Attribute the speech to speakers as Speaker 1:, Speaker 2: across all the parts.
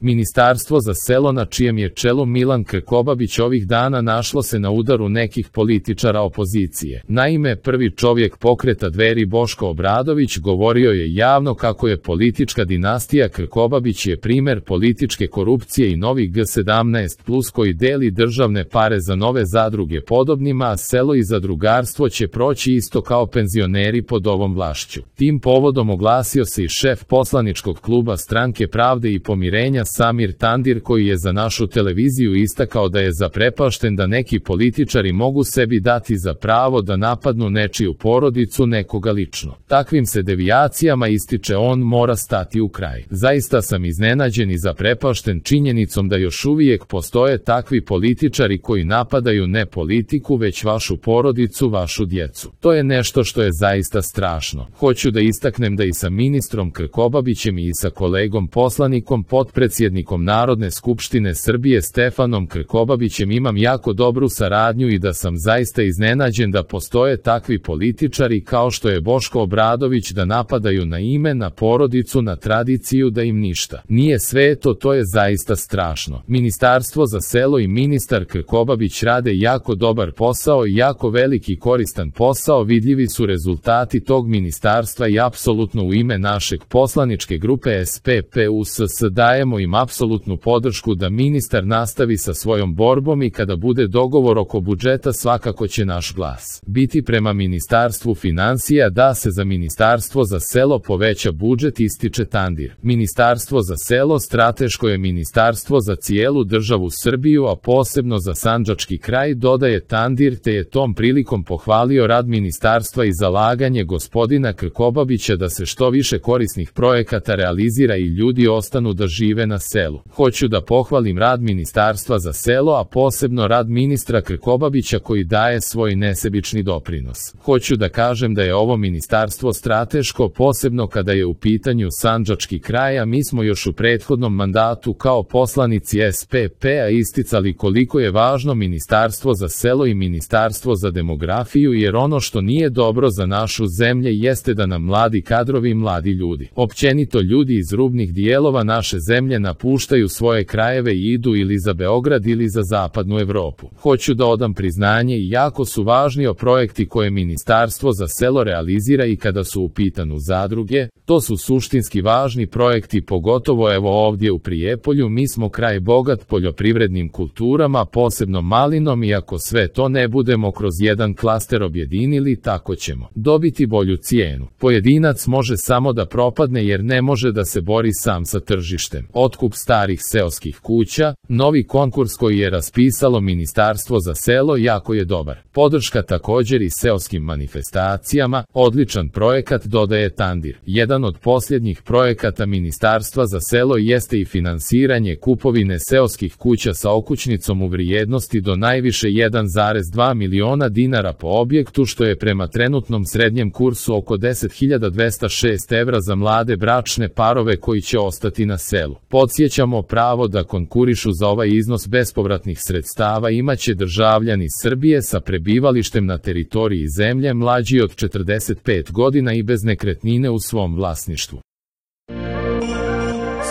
Speaker 1: Ministarstvo za selo na čijem je čelu Milan Krkobabić ovih dana našlo se na udaru nekih političara opozicije. Naime, prvi čovjek pokreta Dveri Boško Obradović govorio je javno kako je politička dinastija Krkobabić je primer političke korupcije i novi G17+ koji deli državne pare za nove zadruge podobnima, a selo i zadrugarstvo će proći isto kao penzioneri pod ovom vlašću. Tim povodom oglasio se i šef poslaničkog kluba Stranke pravde i pomirenja Samir Tandir koji je za našu televiziju istakao da je zaprepašten da neki političari mogu sebi dati za pravo da napadnu nečiju porodicu nekoga lično. Takvim se devijacijama, ističe on, mora stati u kraj. Zaista sam iznenađen i zaprepašten činjenicom da još uvijek postoje takvi političari koji napadaju ne politiku već vašu porodicu, vašu djecu. To je nešto što je zaista strašno. Hoću da istaknem da i sa ministrom Krkobabićem i sa kolegom poslanikom potpredsjednikom Narodne skupštine Srbije Stefanom Krkobabićem imam jako dobru saradnju i da sam zaista iznenađen da postoje takvi političari kao što je Boško Obradović da napadaju na ime, na porodicu, na tradiciju, da im ništa nije sveto. To je zaista strašno. Ministarstvo za selo i ministar Krkobabić rade jako dobar posao i jako veliki koristan posao. Vidljivi su rezultati tog ministarstva i apsolutno u ime našeg poslaničke grupe SPPUSS dajemo im apsolutnu podršku da ministar nastavi sa svojom borbom i kada bude dogovor oko budžeta svakako će naš glas biti prema Ministarstvu financija da se za Ministarstvo za selo poveća budžet, ističe Tandir. Ministarstvo za selo strateško je ministarstvo za cijelu državu Srbiju, a posebno za sandžački kraj, dodaje Tandir, te je tom prilikom pohvalio rad ministarstva i zalaganje gospodina Krkobabića da se što više korisnih projekata realizira i ljudi ostanu da žive na selu. Hoću da pohvalim rad Ministarstva za selo, a posebno rad ministra Krkobabića koji daje svoj nesebični doprinos. Hoću da kažem da je ovo ministarstvo strateško, posebno kada je u pitanju sandžački kraj, a mi smo još u prethodnom mandatu kao poslanici SPP-a isticali koliko je važno Ministarstvo za selo i Ministarstvo za demografiju, jer ono što nije dobro za našu zemlju jeste da nam mladi kadrovi, mladi ljudi, općenito ljudi iz rubnih dijelova naše zemlje napuštaju svoje krajeve i idu ili za Beograd ili za zapadnu Evropu. Hoću da odam priznanje i jako su važni projekti koje Ministarstvo za selo realizira i kada su u pitanju zadruge, to su suštinski važni projekti, pogotovo evo ovdje u Prijepolju. Mi smo kraj bogat poljoprivrednim kulturama, posebno malinom, i ako sve to ne budemo kroz jedan klaster objedinili, tako ćemo dobiti bolju cijenu. Pojedinac može samo da propadne jer ne može da se bori sam sa tržištem. Otkup starih seoskih kuća, novi konkurs koji je raspisalo Ministarstvo za selo, jako je dobar. Podrška također i seoskim manifestacijama, odličan projekat, dodaje Tandir. Jedan od posljednjih projekata Ministarstva za selo jeste i finansiranje kupovine seoskih kuća sa okućnicom u vrijednosti do najviše 1,2 miliona dinara po objektu, što je prema trenutnom srednjem kursu oko 10.206 evra za mlade bračne parove koji će ostati na selu. Podsjećamo, pravo da konkurišu za ovaj iznos bespovratnih sredstava imaće državljani Srbije sa prebivalištem na teritoriji zemlje mlađi od 45 godina i bez nekretnine u svom vlasništvu.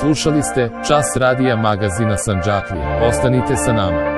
Speaker 1: Slušali ste Čas radija magazina Sandžaklija. Ostanite sa nama.